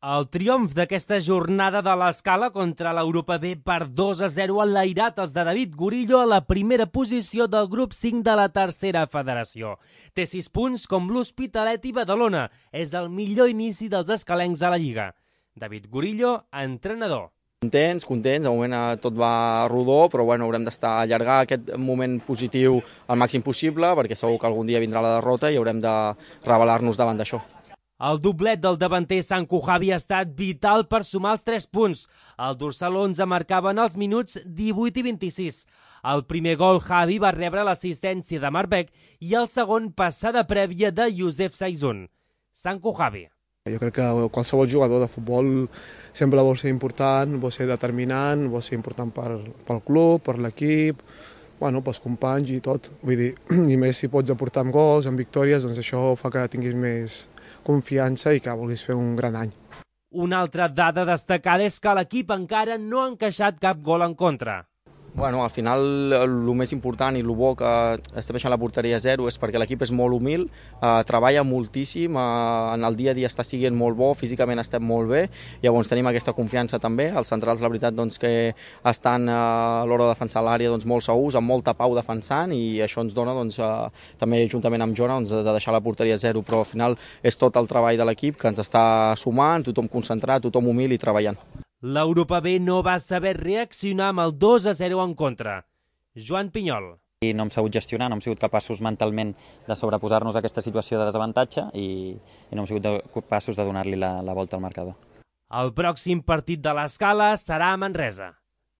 El triomf d'aquesta jornada de l'Escala contra l'Europa B per 2-0 ha enlairat els de David Gurillo a la primera posició del grup 5 de la tercera federació. Té 6 punts com l'Hospitalet i Badalona. És el millor inici dels escalencs a la Lliga. David Gurillo, entrenador. Contents, de moment tot va rodó, però bueno, haurem d'estar allargar aquest moment positiu al màxim possible, perquè segur que algun dia vindrà la derrota i haurem de rebel·lar-nos davant d'això. El doblet del davanter Sanku Javi ha estat vital per sumar els 3 punts. El dorsal 11 marcava en els minuts 18 i 26. El primer gol Javi va rebre l'assistència de Marbek i el segon passada prèvia de Youssef Saizun. Sanku Javi. Jo crec que qualsevol jugador de futbol sempre vol ser important, vol ser determinant, vol ser important pel club, per l'equip, pels companys i tot. Vull dir, i més si pots aportar amb gols, amb victòries, doncs això fa que tinguis més confiança i que vulguis fer un gran any. Una altra dada destacada és que l'equip encara no ha encaixat cap gol en contra. Bueno, al final el més important i el bo que estem deixant la porteria a 0 és perquè l'equip és molt humil, treballa moltíssim, en el dia a dia està sent molt bo, físicament estem molt bé, llavors tenim aquesta confiança també. Els centrals, la veritat, que estan a l'hora de defensar l'àrea molt segurs, amb molta pau defensant, i això ens dona també juntament amb Jona de deixar la porteria a 0, però al final és tot el treball de l'equip que ens està sumant, tothom concentrat, tothom humil i treballant. L'Europa B no va saber reaccionar amb el 2-0 en contra. Joan Pinyol. No hem sabut gestionar, no hem sigut capaços mentalment de sobreposar-nos a aquesta situació de desavantatge i no hem sigut capaços de donar-li la volta al marcador. El pròxim partit de l'Escala serà a Manresa.